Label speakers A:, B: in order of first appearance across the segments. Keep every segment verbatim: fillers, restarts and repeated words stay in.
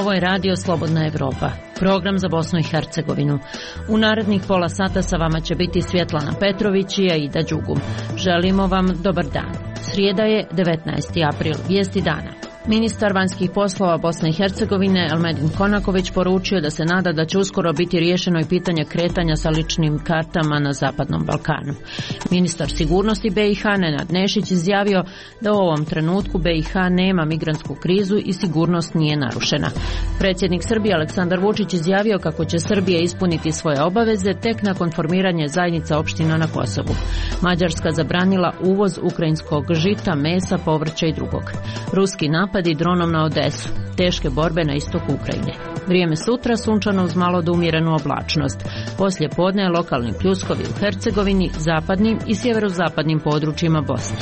A: Ovo je Radio Slobodna Evropa, program za Bosnu i Hercegovinu. U narednih pola sata sa vama će biti Svjetlana Petrović i Aida Đugum. Želimo vam dobar dan. Srijeda je devetnaesti april, vijesti dana. Ministar vanjskih poslova Bosne i Hercegovine Elmedin Konaković poručio da se nada da će uskoro biti riješeno i pitanje kretanja sa ličnim kartama na Zapadnom Balkanu. Ministar sigurnosti B i H Nenad Nešić izjavio da u ovom trenutku B i H nema migrantsku krizu i sigurnost nije narušena. Predsjednik Srbije Aleksandar Vučić izjavio kako će Srbija ispuniti svoje obaveze tek nakon formiranja zajednica opština na Kosovu. Mađarska zabranila uvoz ukrajinskog žita, mesa, povrća i drugog. Ruski napadi dronom na Odesu, teške borbe na istoku Ukrajine. Vrijeme sutra sunčano uz malo do umjerenu oblačnost. Poslije podne lokalni pljuskovi u Hercegovini, zapadnim i sjeverozapadnim područjima Bosne.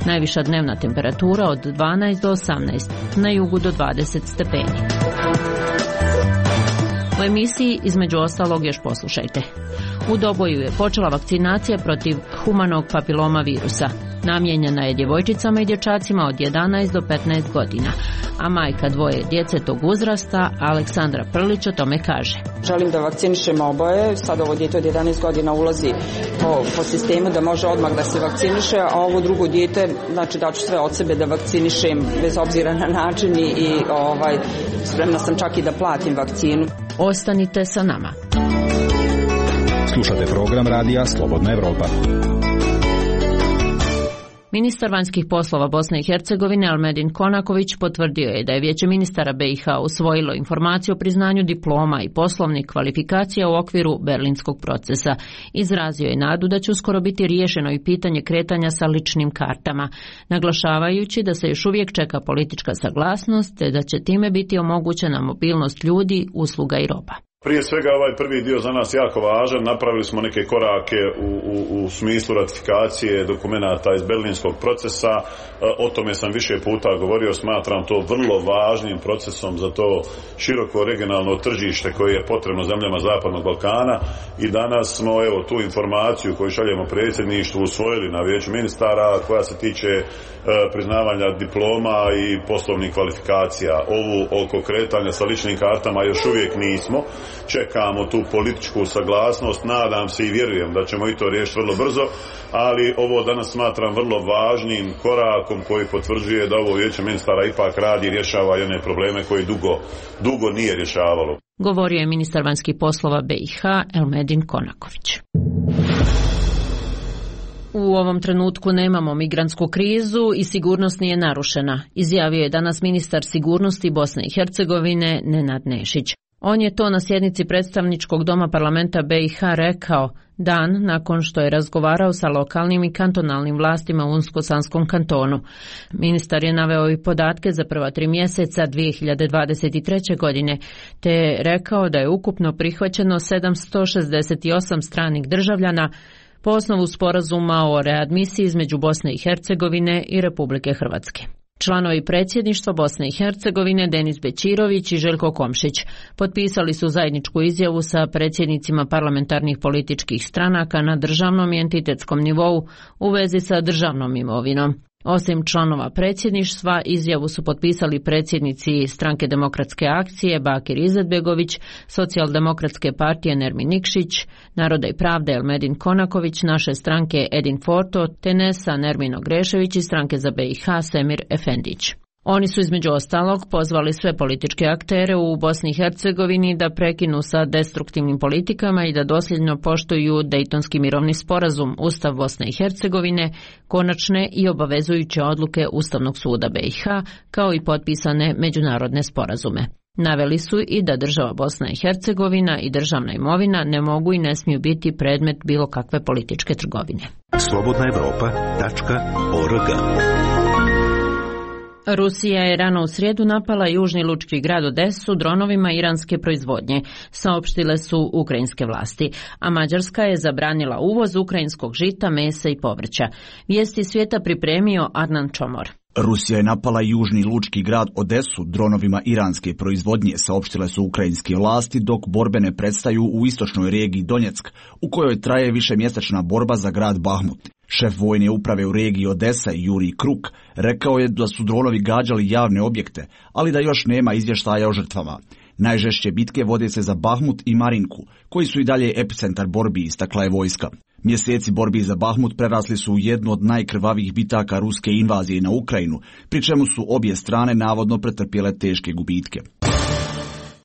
A: Najviša dnevna temperatura od dvanaest do osamnaest, na jugu do dvadeset stepeni. U emisiji između ostalog još poslušajte. U Doboju je počela vakcinacija protiv humanog papiloma virusa. Namijenjena je djevojčicama i dječacima od jedanaest do petnaest godina, a majka dvoje djece tog uzrasta, Aleksandra Prlić, o tome kaže.
B: Želim da vakcinišemo oboje, sad ovo dijete od jedanaest godina ulazi po, po sistemu da može odmah da se vakciniše, a ovo drugo dijete, znači da ću sve od sebe da vakcinišem bez obzira na način i, i ovaj, spremna sam čak i da platim vakcinu.
A: Ostanite sa nama.
C: Slušate program Radija Slobodna Evropa.
A: Ministar vanjskih poslova Bosne i Hercegovine Elmedin Konaković potvrdio je da je Vijeće ministara B i H usvojilo informaciju o priznanju diploma i poslovnih kvalifikacija u okviru berlinskog procesa. Izrazio je nadu da će uskoro biti riješeno i pitanje kretanja sa ličnim kartama, naglašavajući da se još uvijek čeka politička saglasnost te da će time biti omogućena mobilnost ljudi, usluga i roba.
D: Prije svega ovaj prvi dio za nas jako važan, napravili smo neke korake u, u, u smislu ratifikacije dokumenata iz berlinskog procesa, o tome sam više puta govorio, smatram to vrlo važnim procesom za to široko regionalno tržište koje je potrebno zemljama Zapadnog Balkana i danas smo evo tu informaciju koju šaljemo predsjedništvu usvojili na Vijeću ministara koja se tiče e, priznavanja diploma i poslovnih kvalifikacija. Ovu oko kretanja sa ličnim kartama još uvijek nismo. Čekamo tu političku saglasnost, nadam se i vjerujem da ćemo i to riješiti vrlo brzo, ali ovo danas smatram vrlo važnim korakom koji potvrđuje da ovo Vijeće ministara ipak radi i rješava i one probleme koje dugo, dugo nije rješavalo.
A: Govorio je ministar vanjskih poslova B i H Elmedin Konaković. U ovom trenutku nemamo migrantsku krizu i sigurnost nije narušena, izjavio je danas ministar sigurnosti Bosne i Hercegovine Nenad Nešić. On je to na sjednici predstavničkog doma parlamenta B i H rekao dan nakon što je razgovarao sa lokalnim i kantonalnim vlastima u Unsko-Sanskom kantonu. Ministar je naveo i podatke za prva tri mjeseca dvije hiljade dvadeset treće. godine, te je rekao da je ukupno prihvaćeno sedamsto šezdeset osam stranih državljana po osnovu sporazuma o readmisiji između Bosne i Hercegovine i Republike Hrvatske. Članovi predsjedništva Bosne i Hercegovine Denis Bećirović i Željko Komšić potpisali su zajedničku izjavu sa predsjednicima parlamentarnih političkih stranaka na državnom i entitetskom nivou u vezi sa državnom imovinom. Osim članova predsjedništva, izjavu su potpisali predsjednici Stranke demokratske akcije Bakir Izetbegović, Socijaldemokratske partije Nermin Nikšić, Naroda i pravde Elmedin Konaković, naše stranke Edin Forto, Tenesa Nermino Grešević i stranke za B i H Semir Efendić. Oni su između ostalog pozvali sve političke aktere u Bosni i Hercegovini da prekinu sa destruktivnim politikama i da dosljedno poštuju Dejtonski mirovni sporazum, Ustav Bosne i Hercegovine, konačne i obavezujuće odluke Ustavnog suda B i H, kao i potpisane međunarodne sporazume. Naveli su i da država Bosna i Hercegovina i državna imovina ne mogu i ne smiju biti predmet bilo kakve političke trgovine.
C: slobodna evropa tačka org.
A: Rusija je rano u srijedu napala južni lučki grad Odesu dronovima iranske proizvodnje, saopštile su ukrajinske vlasti, a Mađarska je zabranila uvoz ukrajinskog žita, mesa i povrća. Vijesti svijeta pripremio Arnan Čomor.
E: Rusija je napala južni lučki grad Odesu dronovima iranske proizvodnje, saopštile su ukrajinske vlasti, dok borbe ne prestaju u istočnoj regiji Donjeck, u kojoj traje višemjesečna borba za grad Bahmut. Šef vojne uprave u regiji Odesa, Jurij Kruk, rekao je da su dronovi gađali javne objekte, ali da još nema izvještaja o žrtvama. Najžešće bitke vode se za Bahmut i Marinku, koji su i dalje epicentar borbi, istakla je vojska. Mjeseci borbi za Bahmut prerasli su u jednu od najkrvavijih bitaka ruske invazije na Ukrajinu, pri čemu su obje strane navodno pretrpjele teške gubitke.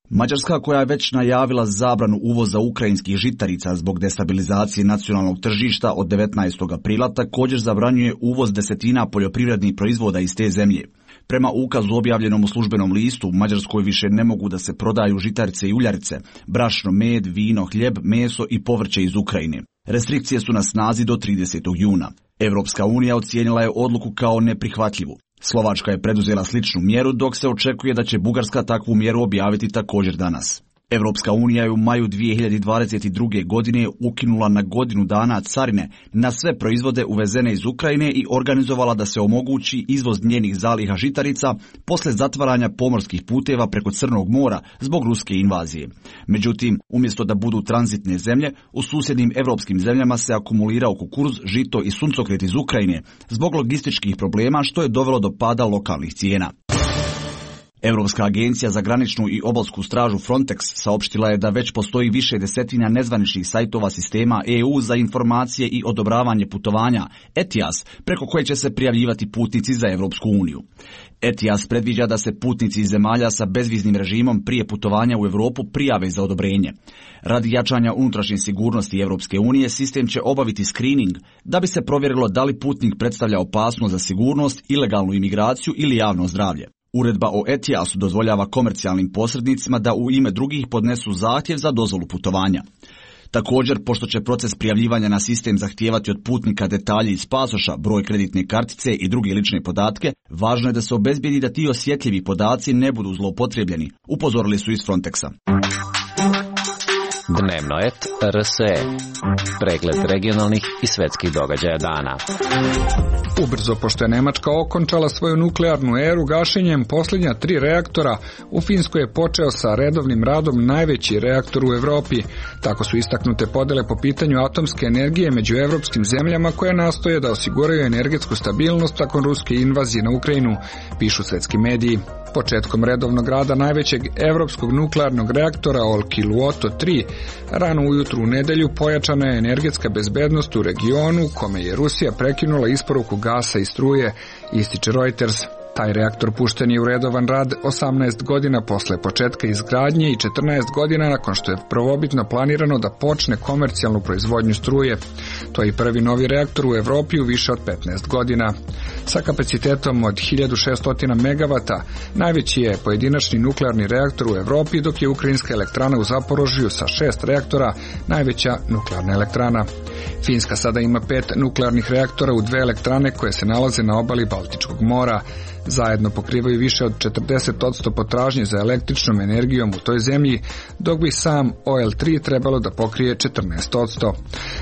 E: Mađarska, koja je već najavila zabranu uvoza ukrajinskih žitarica zbog destabilizacije nacionalnog tržišta od devetnaestog aprila, također zabranjuje uvoz desetina poljoprivrednih proizvoda iz te zemlje. Prema ukazu objavljenom u službenom listu, u Mađarskoj više ne mogu da se prodaju žitarice i uljarice, brašno, med, vino, hljeb, meso i povrće iz Ukrajine. Restrikcije su na snazi do tridesetog juna. Evropska unija ocijenila je odluku kao neprihvatljivu. Slovačka je preduzela sličnu mjeru, dok se očekuje da će Bugarska takvu mjeru objaviti također danas. Evropska unija je u maju dvije hiljade dvadeset druge. godine ukinula na godinu dana carine na sve proizvode uvezene iz Ukrajine i organizovala da se omogući izvoz njenih zaliha žitarica posle zatvaranja pomorskih puteva preko Crnog mora zbog ruske invazije. Međutim, umjesto da budu tranzitne zemlje, u susjednim evropskim zemljama se akumulirao kukuruz, žito i suncokret iz Ukrajine zbog logističkih problema, što je dovelo do pada lokalnih cijena. Europska agencija za graničnu i obalsku stražu Frontex saopštila je da već postoji više desetina nezvaničnih sajtova sistema E U za informacije i odobravanje putovanja E T I A S, preko koje će se prijavljivati putnici za Europsku uniju. E T I A S predviđa da se putnici iz zemalja sa bezviznim režimom prije putovanja u Europu prijave za odobrenje. Radi jačanja unutrašnje sigurnosti Europske unije, sistem će obaviti screening da bi se provjerilo da li putnik predstavlja opasnost za sigurnost, ilegalnu imigraciju ili javno zdravlje. Uredba o E T I A S-u dozvoljava komercijalnim posrednicima da u ime drugih podnesu zahtjev za dozvolu putovanja. Također, pošto će proces prijavljivanja na sistem zahtijevati od putnika detalje iz pasoša, broj kreditne kartice i druge lične podatke, važno je da se obezbijedi da ti osjetljivi podaci ne budu zloupotrijebljeni, upozorili su iz Frontexa.
F: Dnevno et R S E. Pregled regionalnih i svetskih događaja dana.
G: Ubrzo, pošto je Nemačka okončala svoju nuklearnu eru gašenjem posljednja tri reaktora, u Finskoj je počeo sa redovnim radom najveći reaktor u Europi. Tako su istaknute podele po pitanju atomske energije među evropskim zemljama koje nastoje da osiguraju energetsku stabilnost nakon ruske invazije na Ukrajinu, pišu svetski mediji. Početkom redovnog rada najvećeg evropskog nuklearnog reaktora Olkiluoto tri, rano ujutru u nedelju pojačana je energetska bezbednost u regionu kome je Rusija prekinula isporuku gasa i struje, ističe Reuters. Taj reaktor pušten je u redovan rad osamnaest godina posle početka izgradnje i četrnaest godina nakon što je prvobitno planirano da počne komercijalnu proizvodnju struje. To je i prvi novi reaktor u Evropi u više od petnaest godina. Sa kapacitetom od hiljadu šesto megavata, najveći je pojedinačni nuklearni reaktor u Evropi, dok je ukrajinska elektrana u Zaporožju sa šest reaktora najveća nuklearna elektrana. Finska sada ima pet nuklearnih reaktora u dve elektrane koje se nalaze na obali Baltičkog mora. Zajedno pokrivaju više od četrdeset posto potražnje za električnom energijom u toj zemlji, dok bi sam O L tri trebalo da pokrije četrnaest posto.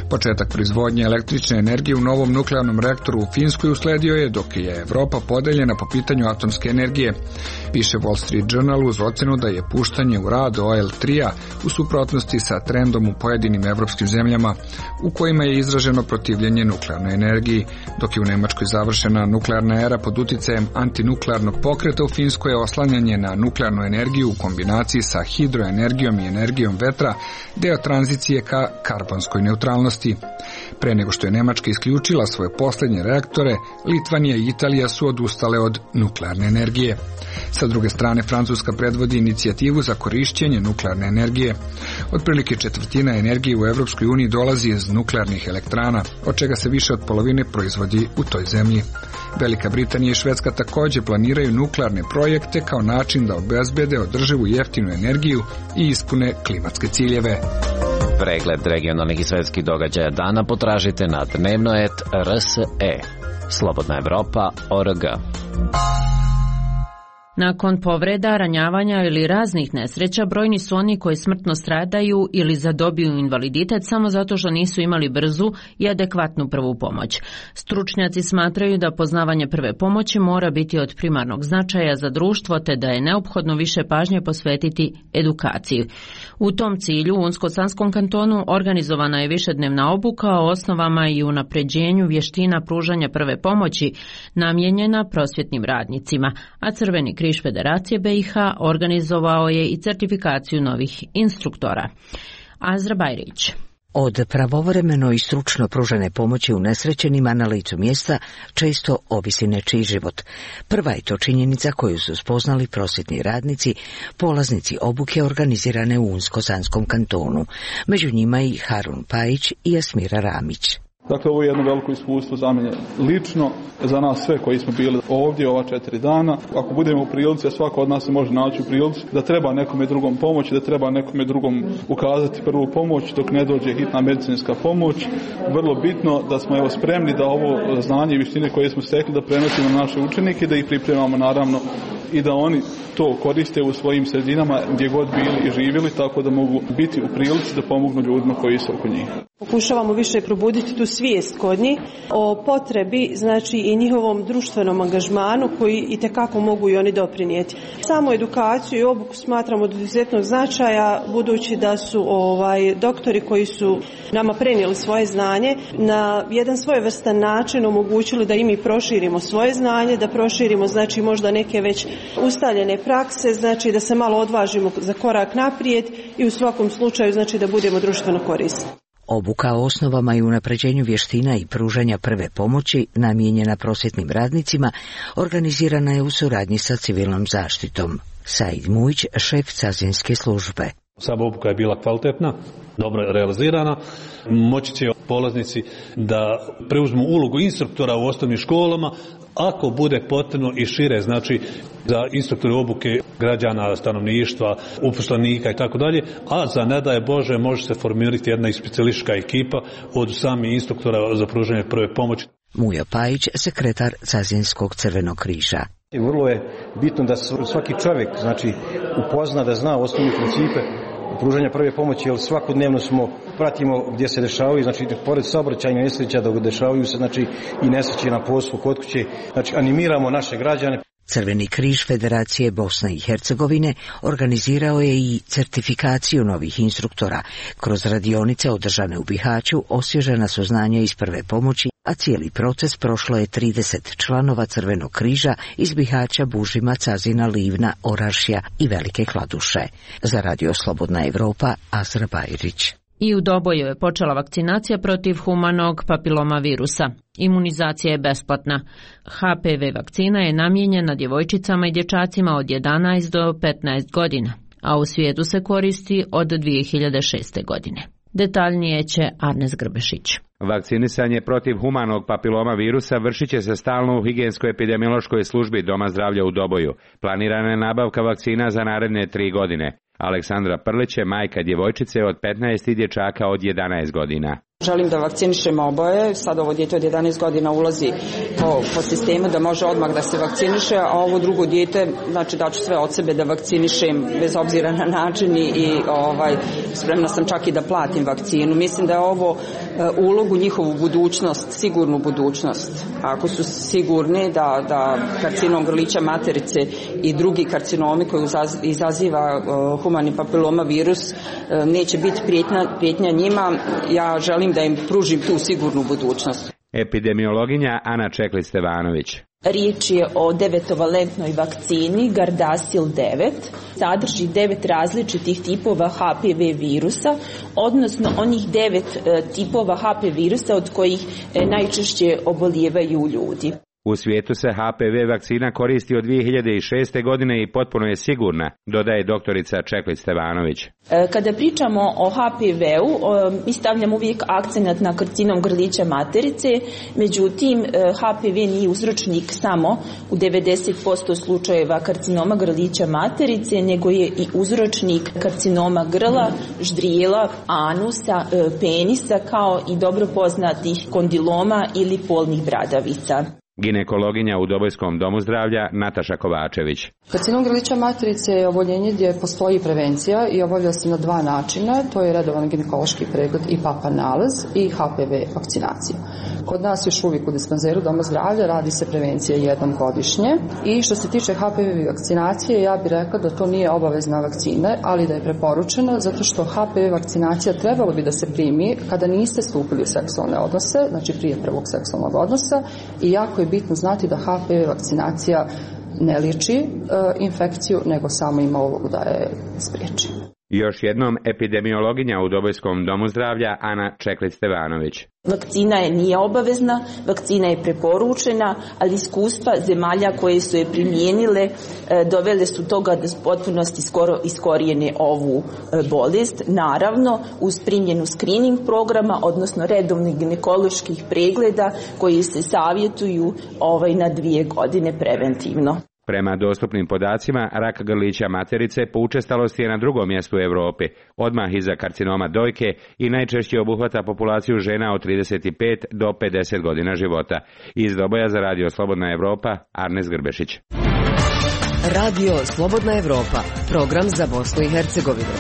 G: Početak proizvodnje električne energije u novom nuklearnom reaktoru u Finskoj usledio je dok je Evropa podeljena po pitanju atomske energije. Piše Wall Street Journal uz ocenu da je puštanje u rad O L tri-a u suprotnosti sa trendom u pojedinim evropskim zemljama u kojima je izraženo protivljenje nuklearnoj energiji, dok je u Nemačkoj završena nuklearna era pod uticajem antinuklearnog pokreta. U Finskoj je oslanjanje na nuklearnu energiju u kombinaciji sa hidroenergijom i energijom vetra deo tranzicije ka karbonskoj neutralnosti. Pre nego što je Nemačka isključila svoje posljednje reaktore, Litvanija i Italija su odustale od nuklearne energije. Sa druge strane, Francuska predvodi inicijativu za korišćenje nuklearne energije. Otprilike četvrtina energije u Evropskoj uniji dolazi iz nuklearnih elektrana, od čega se više od polovine proizvodi u toj zemlji. Velika Britanija i Švedska također planiraju nuklearne projekte kao način da obezbede održivu jeftinu energiju i ispune klimatske ciljeve.
F: Pregled regionalnih i svetskih događaja dana potražite na dnevno et R S E. Slobodna Evropa, O R G.
A: Nakon povreda, ranjavanja ili raznih nesreća, brojni su oni koji smrtno stradaju ili zadobiju invaliditet samo zato što nisu imali brzu i adekvatnu prvu pomoć. Stručnjaci smatraju da poznavanje prve pomoći mora biti od primarnog značaja za društvo te da je neophodno više pažnje posvetiti edukaciji. U tom cilju u Unsko-Sanskom kantonu organizovana je višednevna obuka o osnovama i unapređenju vještina pružanja prve pomoći namijenjena prosvjetnim radnicima, a Crveni križ Federacije B i H organizovao je i certifikaciju novih instruktora. Azra Bajrić.
H: Od pravovremeno i stručno pružene pomoći unesrećenima na licu mjesta često ovisi nečiji život. Prva je to činjenica koju su spoznali prosvjetni radnici, polaznici obuke organizirane u Unsko-Sanskom kantonu. Među njima i Harun Pajić i Jasmira Ramić.
I: Dakle, ovo je jedno veliko iskustvo za mene lično, za nas sve koji smo bili ovdje ova četiri dana. Ako budemo u prilici, a svako od nas se može naći u prilici, da treba nekome drugom pomoći, da treba nekome drugom ukazati prvu pomoć dok ne dođe hitna medicinska pomoć. Vrlo bitno da smo evo spremni da ovo znanje i vještine koje smo stekli da prenosimo na naše učenike, da ih pripremamo naravno i da oni to koriste u svojim sredinama gdje god bili i živjeli, tako da mogu biti u prilici da pomognu ljudima koji su oko njih.
J: Pokušavamo više probuditi tu svijest kod njih o potrebi, znači i njihovom društvenom angažmanu koji itekako mogu i oni doprinijeti. Samo edukaciju i obuku smatramo od izuzetnog značaja, budući da su ovaj doktori koji su nama prenijeli svoje znanje na jedan svojevrstan način omogućili da i mi proširimo svoje znanje, da proširimo znači možda neke već ustaljene prakse, znači da se malo odvažimo za korak naprijed i u svakom slučaju znači da budemo društveno korisni.
H: Obuka o osnovama i unapređenju vještina i pružanja prve pomoći namijenjena prosvjetnim radnicima organizirana je u suradnji sa civilnom zaštitom. Said Mujić, šef cazinske službe.
K: Sama obuka je bila kvalitetna, dobro realizirana. Moći će polaznici da preuzmu ulogu instruktora u osnovnim školama, ako bude potrebno i šire, znači za instruktore obuke građana, stanovništva, uposlenika i tako dalje, a za ne daj Bože može se formirati jedna i specijalistička ekipa od samih instruktora za pružanje prve pomoći.
H: Mujo Pajić, sekretar Cazinskog Crvenog križa.
L: I vrlo je bitno da svaki čovjek znači upozna, da zna osnovne principe pružanja prve pomoći, jer svakodnevno smo pratimo gdje se dešavaju, znači pored saobraćajnih nesreća da dešavaju se znači i nesreće na poslu, kod kuće, znači animiramo naše građane.
H: Crveni križ Federacije Bosne i Hercegovine organizirao je i certifikaciju novih instruktora. Kroz radionice održane u Bihaću osvježena su znanja iz prve pomoći, a cijeli proces prošlo je trideset članova Crvenog križa iz Bihaća, Bužima, Cazina, Livna, Orašja i Velike Kladuše. Za Radio Slobodna Evropa, Azra Bajrić.
A: I u Doboju je počela vakcinacija protiv humanog papiloma virusa. Imunizacija je besplatna. H P V vakcina je namijenjena djevojčicama i dječacima od jedanaest do petnaest godina, a u svijetu se koristi od dvije hiljade šeste. godine. Detaljnije će Arnes Grbešić.
M: Vakcinisanje protiv humanog papiloma virusa vršit će se stalno u higijensko-epidemiološkoj službi Doma zdravlja u Doboju. Planirana je nabavka vakcina za naredne tri godine. Aleksandra Prlić je majka djevojčice od petnaest i dječaka od jedanaest godina.
B: Želim da vakcinišemo oboje, sad ovo dijete od jedanaest godina ulazi po, po sistemu da može odmah da se vakciniše, a ovo drugo dijete, znači daću sve od sebe da vakcinišem bez obzira na način i, i ovaj, spremna sam čak i da platim vakcinu. Mislim da je ovo uh, ulog u njihovu budućnost, sigurnu budućnost. Ako su sigurni da, da karcinom grlića materice i drugi karcinomi koji izaziva uh, humani papiloma virus uh, neće biti prijetnja, prijetnja njima, ja želim da im pružim tu sigurnu budućnost.
M: Epidemiologinja Ana Čekli-Stevanović.
N: Riječ je o devetovalentnoj vakcini Gardasil devet. Sadrži devet različitih tipova H P V virusa, odnosno onih devet e, tipova H P V virusa od kojih e, najčešće obolijevaju ljudi.
M: U svijetu se H P V vakcina koristi od dvije hiljade šeste. godine i potpuno je sigurna, dodaje doktorica Čeklić-Stevanović.
N: Kada pričamo o H P V-u, mi stavljamo uvijek akcenat na karcinom grlića materice, međutim H P V nije uzročnik samo u devedeset posto slučajeva karcinoma grlića materice, nego je i uzročnik karcinoma grla, ždrijela, anusa, penisa, kao i dobro poznatih kondiloma ili polnih bradavica.
M: Ginekologinja u Dobojskom domu zdravlja Nataša Kovačević.
O: Karcinom grlića materice je oboljenje gdje postoji prevencija i obavlja se na dva načina, to je redovan ginekološki pregled i papa nalaz i H P V vakcinacija. Kod nas još uvijek u dispanzeru doma zdravlja radi se prevencija jednom godišnje i što se tiče H P V vakcinacije, ja bih rekla da to nije obavezna vakcina, ali da je preporučena zato što H P V vakcinacija trebalo bi da se primi kada niste stupili u seksualne odnose, znači prije prvog seksualnog odnosa, i jako je bitno znati da H P V vakcinacija ne liječi e, infekciju, nego samo ima ulogu da je spriječi.
M: Još jednom epidemiologinja u Dobojskom domu zdravlja Ana Čeklić-Stevanović.
N: Vakcina je nije obavezna, vakcina je preporučena, ali iskustva zemalja koje su je primijenile dovele su toga da u potpunosti skoro iskorijene ovu bolest. Naravno, uz primjenu screening programa, odnosno redovnih ginekoloških pregleda koji se savjetuju ovaj, na dvije godine preventivno.
M: Prema dostupnim podacima, rak grlića materice po učestalosti je na drugom mjestu u Europi, odmah iza karcinoma dojke i najčešće obuhvata populaciju žena od trideset pet do pedeset godina života. Iz Doboja za Radio Slobodna Evropa, Arnes Grbešić.
P: Radio Slobodna Evropa, program za Bosnu i Hercegovinu.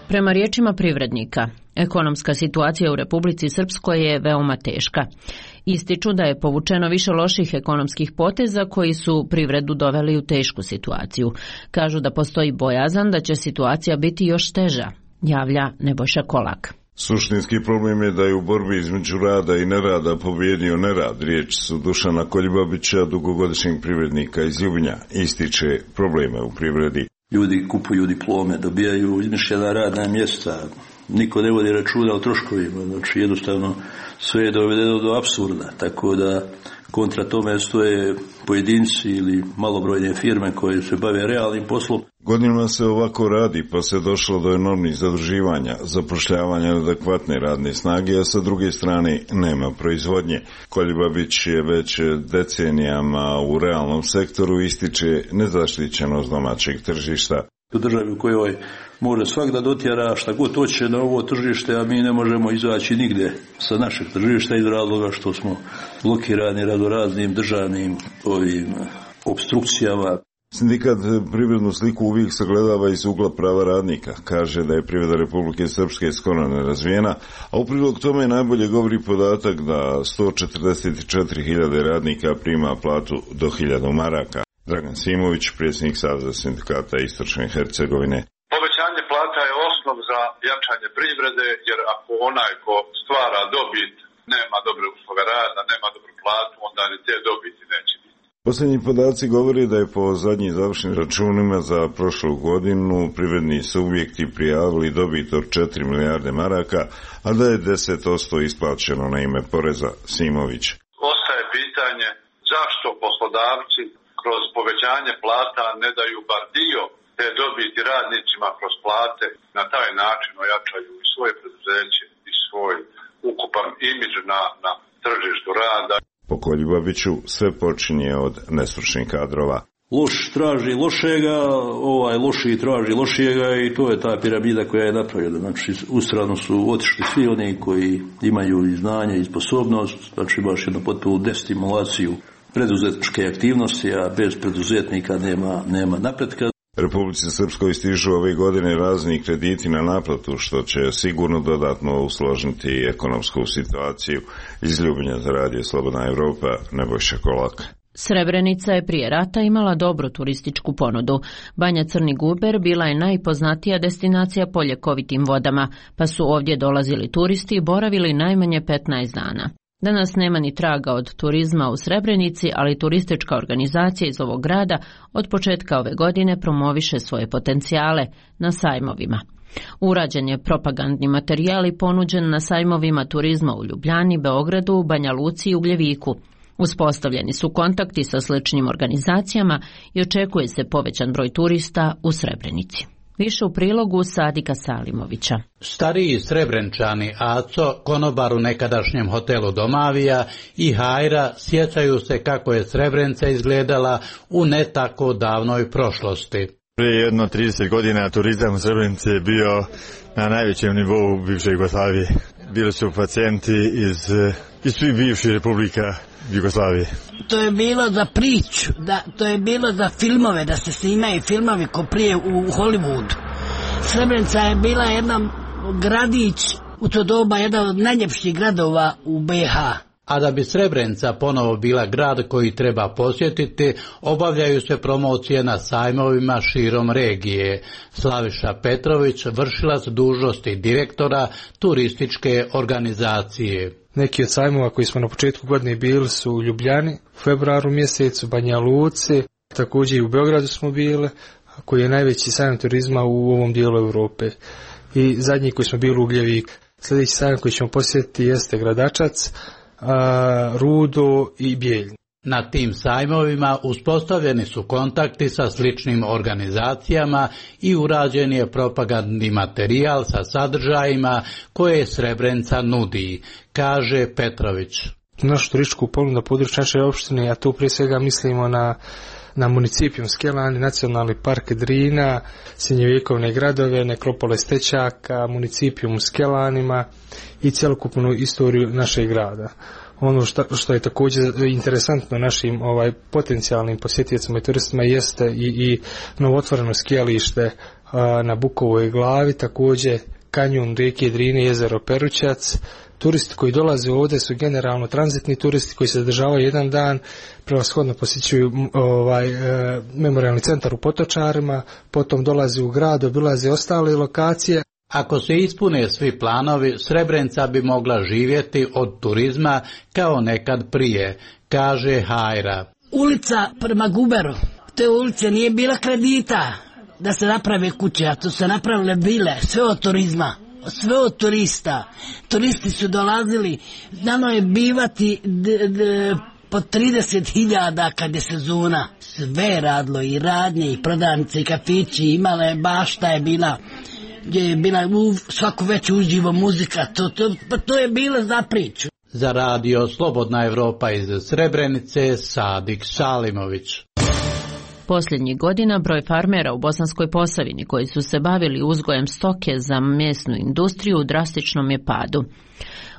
A: Prema riječima privrednika, ekonomska situacija u Republici Srpskoj je veoma teška. Ističu da je povučeno više loših ekonomskih poteza koji su privredu doveli u tešku situaciju. Kažu da postoji bojazan da će situacija biti još teža, javlja Nebojša Kolak.
Q: Suštinski problem je da je u borbi između rada i nerada pobjedio nerad. Riječ su Dušana Koljibabića, dugogodišnjeg privrednika iz Ljubinja. Ističe probleme u privredi.
R: Ljudi kupuju diplome, dobijaju izmišljena radna mjesta, niko ne vodi računa o troškovima, znači jednostavno sve je dovedeno do apsurda, tako da kontra tome stoje pojedinci ili malobrojne firme koje se bave realnim poslom.
Q: Godinama se ovako radi, pa se došlo do enormnih zaduživanja, zapošljavanja adekvatne radne snage, a sa druge strane nema proizvodnje. Koljibabić je već decenijama u realnom sektoru, ističe nezaštićenost domaćeg tržišta.
R: U državi u kojoj može svak da dotjera šta god hoće na ovo tržište, a mi ne možemo izaći nigde sa našeg tržišta iz razloga što smo blokirani radoraznim državnim ovim obstrukcijama.
Q: Sindikat privrednu sliku uvijek sagledava iz ugla prava radnika. Kaže da je privreda Republike Srpske skoro nerazvijena, a u prilog tome najbolje govori podatak da sto četrdeset četiri hiljade radnika prima platu do hiljadu maraka. Dragan Simović, predsjednik Saveza sindikata Istočne Hercegovine.
S: Povećanje plata je osnov za jačanje privrede, jer ako onaj ko stvara dobit nema dobre uslove rada, nema dobru platu, onda ni te dobiti neće biti.
Q: Posljednji podaci govori da je po zadnjim završnim računima za prošlu godinu privredni subjekti prijavili dobit od četiri milijarde maraka, a da je deset posto isplaćeno na ime poreza. Simović.
S: Ostaje pitanje zašto poslodavci kroz povećanje plata ne daju bar dio te dobiti radnicima kroz plate, na taj način ojačaju i svoje preduzeće i svoj ukupan imidž na, na tržištu rada.
Q: Po Koljibabiću sve počinje od nestručnih kadrova.
R: Loš traži lošega, ovaj loši traži lošijega i to je ta piramida koja je napravljena. Znači, u stranu su otišli svi oni koji imaju i znanje i sposobnost, znači baš jednu potpunu destimulaciju preduzetničke aktivnosti, a bez preduzetnika nema, nema napretka.
Q: Republici Srpskoj stižu ove godine razni krediti na naplatu, što će sigurno dodatno usložiti ekonomsku situaciju. Iz Ljubinja za Radio Slobodna Evropa, Nebojša Kolak.
A: Srebrenica je prije rata imala dobru turističku ponudu. Banja Crni Guber bila je najpoznatija destinacija po ljekovitim vodama, pa su ovdje dolazili turisti i boravili najmanje petnaest dana. Danas nema ni traga od turizma u Srebrenici, ali turistička organizacija iz ovog grada od početka ove godine promoviše svoje potencijale na sajmovima. Urađen je propagandni materijal i ponuđen na sajmovima turizma u Ljubljani, Beogradu, Banja Luci i Ugljeviku. Uspostavljeni su kontakti sa sličnim organizacijama i očekuje se povećan broj turista u Srebrenici. Više u prilogu Sadika Salimovića.
T: Stariji Srebrenčani Aco, konobar u nekadašnjem hotelu Domavija, i Hajra sjećaju se kako je Srebrenica izgledala u ne tako davnoj prošlosti.
U: Prije jedno trideset godina turizam u Srebrenici je bio na najvećem nivou bivše Jugoslavije. bili su pacijenti iz, iz svih bivših republika Jugoslavije.
V: To je bilo za priču, da, to je bilo za filmove, da se snimaju filmovi ko prije u, u Hollywoodu. Srebrenica je bila jedan gradić, u to doba jedan od najljepših gradova u be ha.
T: A da bi Srebrenica ponovo bila grad koji treba posjetiti, obavljaju se promocije na sajmovima širom regije. Slaviša Petrović, vršilac dužnosti direktora turističke organizacije.
W: Neki od sajmova koji smo na početku godine bili su u Ljubljani, u februaru mjesecu, Banja Luci, također i u Beogradu smo bili, koji je najveći sajam turizma u ovom dijelu Europe. I zadnji koji smo bili u Ugljevik. Sljedeći sajam koji ćemo posjetiti jeste Gradačac, a, Rudo i Bijeljina.
T: Na tim sajmovima uspostavljeni su kontakti sa sličnim organizacijama i urađen je propagandni materijal sa sadržajima koje Srebrenica nudi, kaže Petrović.
W: Našu turističku ponudu na području naše opštine, a tu prije svega mislimo na na municipijum Skelani, nacionalni park Drina, srednjovjekovne gradove, nekropole Stečaka, municipijum u Skelanima i cjelokupnu istoriju našeg grada. Ono što, što je također interesantno našim ovaj potencijalnim posjetiocima i turistima jeste i, i novotvoreno skijalište a, na Bukovoj glavi, također kanjon rijeke Drine, jezero Perućac. Turisti koji dolaze ovdje su generalno tranzitni turisti koji se zadržavaju jedan dan, prevashodno posjećuju ovaj, e, memorijalni centar u Potočarima, potom dolaze u grad, obilaze ostale lokacije.
T: Ako se ispune svi planovi, Srebrenica bi mogla živjeti od turizma kao nekad prije, kaže Hajra.
V: Ulica prema Guberu, te ulice nije bila kredita da se naprave kuće, a to se napravile bile, sve od turizma. Sve od turista. Turisti su dolazili, znano je bivati d, d, po trideset hiljada kad je sezona. Sve je radilo, i radnje, i prodavnice, i kafići, imala je bašta je bila, gdje je bila u svaku već uživo muzika, to, to, pa to je bilo za priču.
T: Za radio Slobodna Evropa iz Srebrenice, Sadik Salimović.
A: Posljednjih godina broj farmera u Bosanskoj Posavini koji su se bavili uzgojem stoke za mesnu industriju u drastičnom je padu.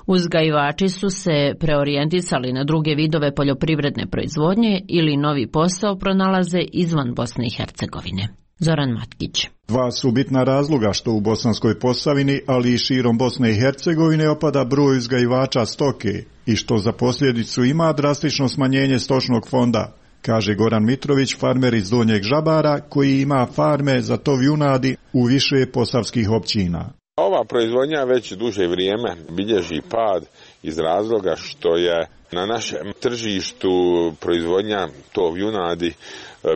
A: Uzgajivači su se preorijentisali na druge vidove poljoprivredne proizvodnje ili novi posao pronalaze izvan Bosne i Hercegovine. Zoran Matkić.
X: Dva su bitna razloga što u Bosanskoj Posavini, ali i širom Bosne i Hercegovine opada broj uzgajivača stoke i što za posljedicu ima drastično smanjenje stočnog fonda, kaže Goran Mitrović, farmer iz Donjeg Žabara, koji ima farme za tov junadi u više posavskih općina.
Y: Ova proizvodnja već duže vrijeme bilježi pad iz razloga što je na našem tržištu proizvodnja tov junadi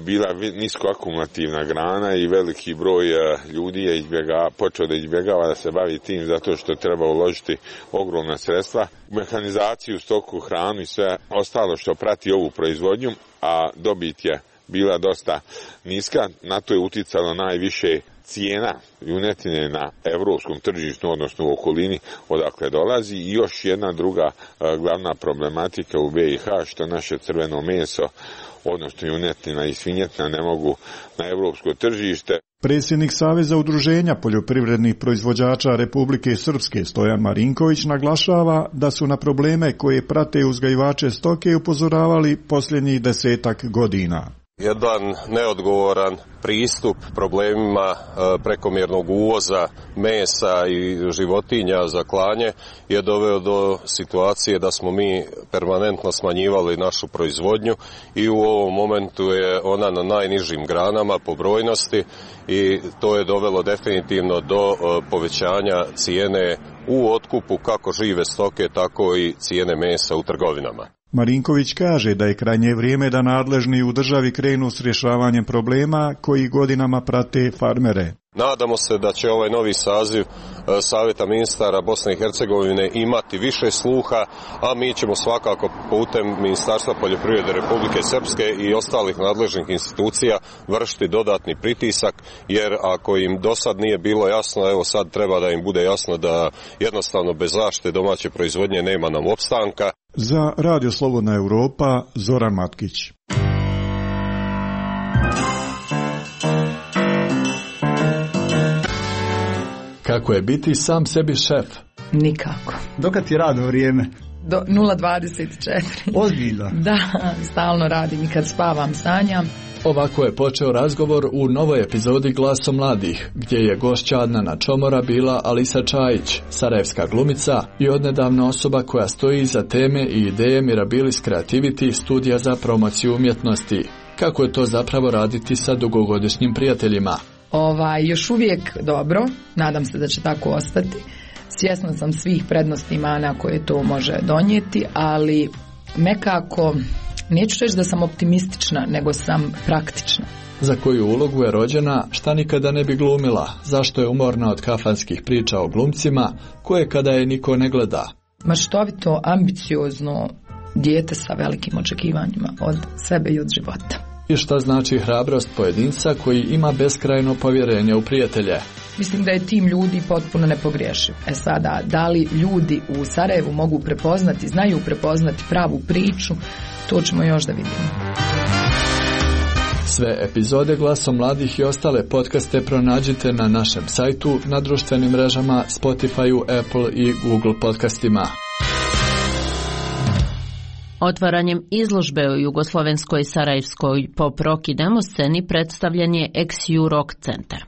Y: bila nisko akumulativna grana i veliki broj ljudi je izbjega, počeo da izbjegava da se bavi tim zato što treba uložiti ogromna sredstva u mehanizaciju, stoku, hranu i sve ostalo što prati ovu proizvodnju, a dobit je bila dosta niska. Na to je uticalo najviše cijena junetine na evropskom tržištu, odnosno u okolini odakle dolazi, i još jedna druga glavna problematika u be i ha, što naše crveno meso, odnosno junetina i svinjetina, ne mogu na evropsko tržište.
X: Predsjednik Saveza udruženja poljoprivrednih proizvođača Republike Srpske Stojan Marinković naglašava da su na probleme koje prate uzgajivače stoke upozoravali posljednjih desetak godina.
Z: Jedan neodgovoran pristup problemima prekomjernog uvoza mesa i životinja za klanje je doveo do situacije da smo mi permanentno smanjivali našu proizvodnju i u ovom momentu je ona na najnižim granama po brojnosti i to je dovelo definitivno do povećanja cijene u otkupu kako žive stoke, tako i cijene mesa u trgovinama.
X: Marinković kaže da je krajnje vrijeme da nadležni u državi krenu s rješavanjem problema koji godinama prate farmere.
Z: Nadamo se da će ovaj novi saziv Savjeta ministara Bosne i Hercegovine imati više sluha, a mi ćemo svakako putem Ministarstva poljoprivrede Republike Srpske i ostalih nadležnih institucija vršiti dodatni pritisak, jer ako im do sad nije bilo jasno, evo sad treba da im bude jasno da jednostavno bez zaštite domaće proizvodnje nema nam opstanka.
X: Za Radio Slobodna Evropa, Zoran Matkić.
C: Kako je biti sam sebi šef?
D: Nikako.
E: Dokad ti radno vrijeme?
D: Do nula dvadeset četiri.
E: Ozbiljno?
D: Da, stalno radim i kad spavam sanjam.
C: Ovako je počeo razgovor u novoj epizodi Glaso mladih, gdje je gošća Adnana Čomora bila Alisa Čajić, sarajevska glumica i odnedavna osoba koja stoji iza teme i ideje Mirabilis Creativity studija za promociju umjetnosti. Kako je to zapravo raditi sa dugogodišnjim prijateljima?
D: Ovaj, još uvijek dobro, nadam se da će tako ostati. Svjesna sam svih prednosti i mana koje to može donijeti, ali nekako, neću reći da sam optimistična, nego sam praktična.
C: Za koju ulogu je rođena, šta nikada ne bi glumila, zašto je umorna od kafanskih priča o glumcima, koje kada je niko ne gleda.
D: Maštovito, ambiciozno dijete sa velikim očekivanjima od sebe i od života.
C: I šta znači hrabrost pojedinca koji ima beskrajno povjerenje u prijatelje?
D: Mislim da je tim ljudi potpuno nepogriješiv. E sada, da li ljudi u Sarajevu mogu prepoznati, znaju prepoznati pravu priču, to ćemo još da vidimo.
C: Sve epizode Glaso mladih i ostale podcaste pronađite na našem sajtu, na društvenim mrežama, Spotifyu, Apple i Google podcastima.
A: Otvaranjem izložbe u jugoslovenskoj sarajevskoj pop rock i demo sceni predstavljen je Ex U Rock centar.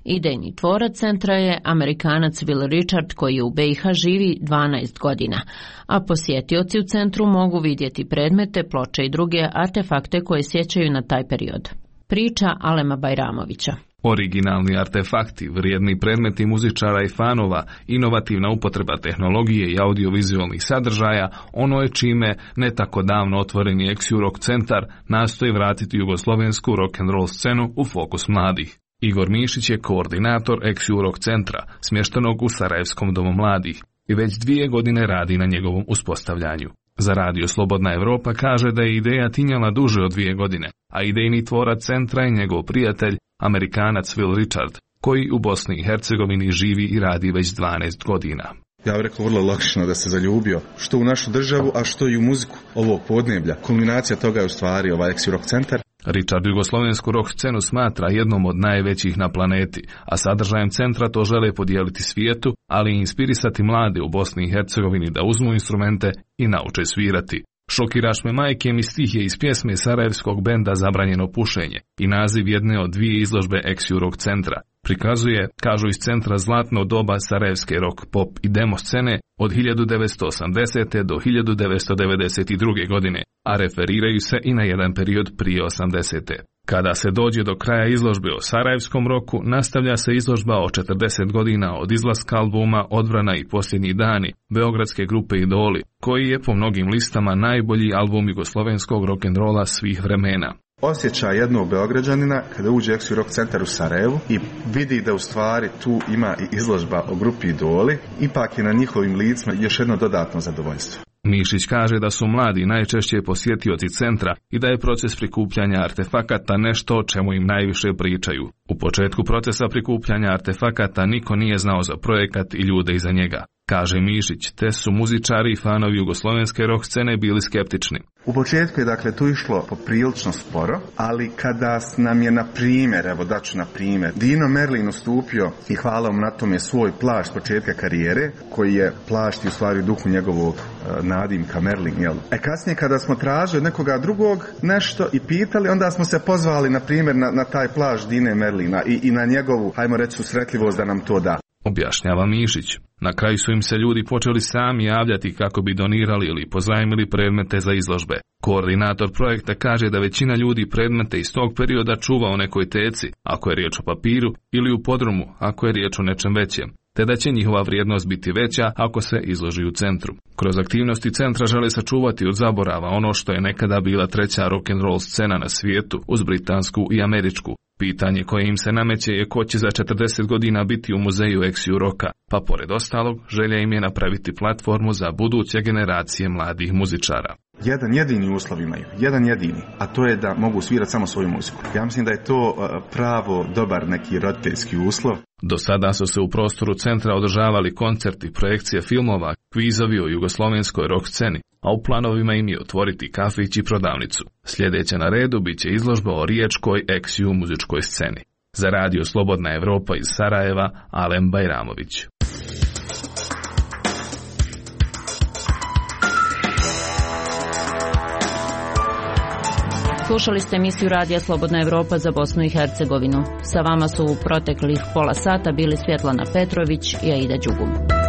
A: Idejni tvorac centra je Amerikanac Will Richard koji u B i H živi dvanaest godina, a posjetioci u centru mogu vidjeti predmete, ploče i druge artefakte koje sjećaju na taj period. Priča Alema Bajramovića.
F: Originalni artefakti, vrijedni predmeti muzičara i fanova, inovativna upotreba tehnologije i audiovizualnih sadržaja, ono je čime ne tako davno otvoreni Ex U Rock centar nastoji vratiti jugoslovensku rock'n'roll scenu u fokus mladih. Igor Mišić je koordinator Ex U Rock centra, smještenog u Sarajevskom domu mladih, i već dvije godine radi na njegovom uspostavljanju. Za Radio Slobodna Evropa kaže da je ideja tinjala duže od dvije godine, a idejni tvorac centra je njegov prijatelj, Amerikanac Will Richard, koji u Bosni i Hercegovini živi i radi već dvanaest godina.
G: Ja bih rekao vrlo logično da se zaljubio, što u našu državu, a što i u muziku ovog podneblja. Kulminacija toga je u stvari ovaj Ex U Rock centar.
F: Richard jugoslovensku rock scenu smatra jednom od najvećih na planeti, a sadržajem centra to žele podijeliti svijetu, ali i inspirisati mlade u Bosni i Hercegovini da uzmu instrumente i nauče svirati. Šokiraš me majke mi stih je iz pjesme sarajevskog benda Zabranjeno pušenje i naziv jedne od dvije izložbe Ex U Rock centra. Prikazuje, kažu iz centra, zlatno doba sarajevske rock, pop i demo scene od hiljadu devetsto osamdesete do hiljadu devetsto devedeset druge godine, a referiraju se i na jedan period prije osamdesete. Kada se dođe do kraja izložbe o sarajevskom roku, nastavlja se izložba o četrdeset godina od izlaska albuma Odbrana i posljednji dani beogradske grupe Idoli, koji je po mnogim listama najbolji album jugoslovenskog rock'n'rolla svih vremena.
G: Osjećaj jednog Beograđanina kada uđe Ex U Rock centar u Sarajevu i vidi da u stvari tu ima i izložba o grupi Idoli, ipak je na njihovim licima još jedno dodatno zadovoljstvo.
F: Mišić kaže da su mladi najčešće posjetioci centra i da je proces prikupljanja artefakata nešto o čemu im najviše pričaju. U početku procesa prikupljanja artefakata niko nije znao za projekat i ljude iza njega, kaže Mišić, te su muzičari i fanovi jugoslovenske rock scene bili skeptični.
G: U početku je dakle tu išlo poprilično sporo, ali kada nam je na primjer, evo daću na primjer, Dino Merlin ustupio i hvala mu na tome svoj plašt početka karijere, koji je plašt i u stvari duhu njegovog uh, nadimka Merlin, jel? E kasnije kada smo tražili od nekoga drugog nešto i pitali, onda smo se pozvali na primjer na, na taj plašt Dine Merlina i, i na njegovu, hajmo reći, susretljivost da nam to da.
F: Objašnjava Mišić. Na kraju su im se ljudi počeli sami javljati kako bi donirali ili pozajmili predmete za izložbe. Koordinator projekta kaže da većina ljudi predmete iz tog perioda čuva u nekoj teci, ako je riječ o papiru, ili u podrumu, ako je riječ o nečem većem, te da će njihova vrijednost biti veća ako se izloži u centru. Kroz aktivnosti centra žele sačuvati od zaborava ono što je nekada bila treća rock'n'roll scena na svijetu uz britansku i američku. Pitanje koje im se nameće je ko će za četrdeset godina biti u muzeju Ex U Rocka, pa pored ostalog želja im je napraviti platformu za buduće generacije mladih muzičara.
G: Jedan jedini uslov imaju, jedan jedini, a to je da mogu svirati samo svoju muziku. Ja mislim da je to pravo dobar neki roditeljski uslov.
F: Do sada su se u prostoru centra održavali koncerti, projekcije filmova, kvizovi o jugoslovenskoj rock sceni, a u planovima im je otvoriti kafić i prodavnicu. Sljedeća na redu bit će izložba o riječkoj Ex U muzičkoj sceni. Za radio Slobodna Evropa iz Sarajeva, Alem Bajramović.
A: Slušali ste emisiju Radija Slobodna Evropa za Bosnu i Hercegovinu. Sa vama su u proteklih pola sata bili Svjetlana Petrović i Aida Đugum.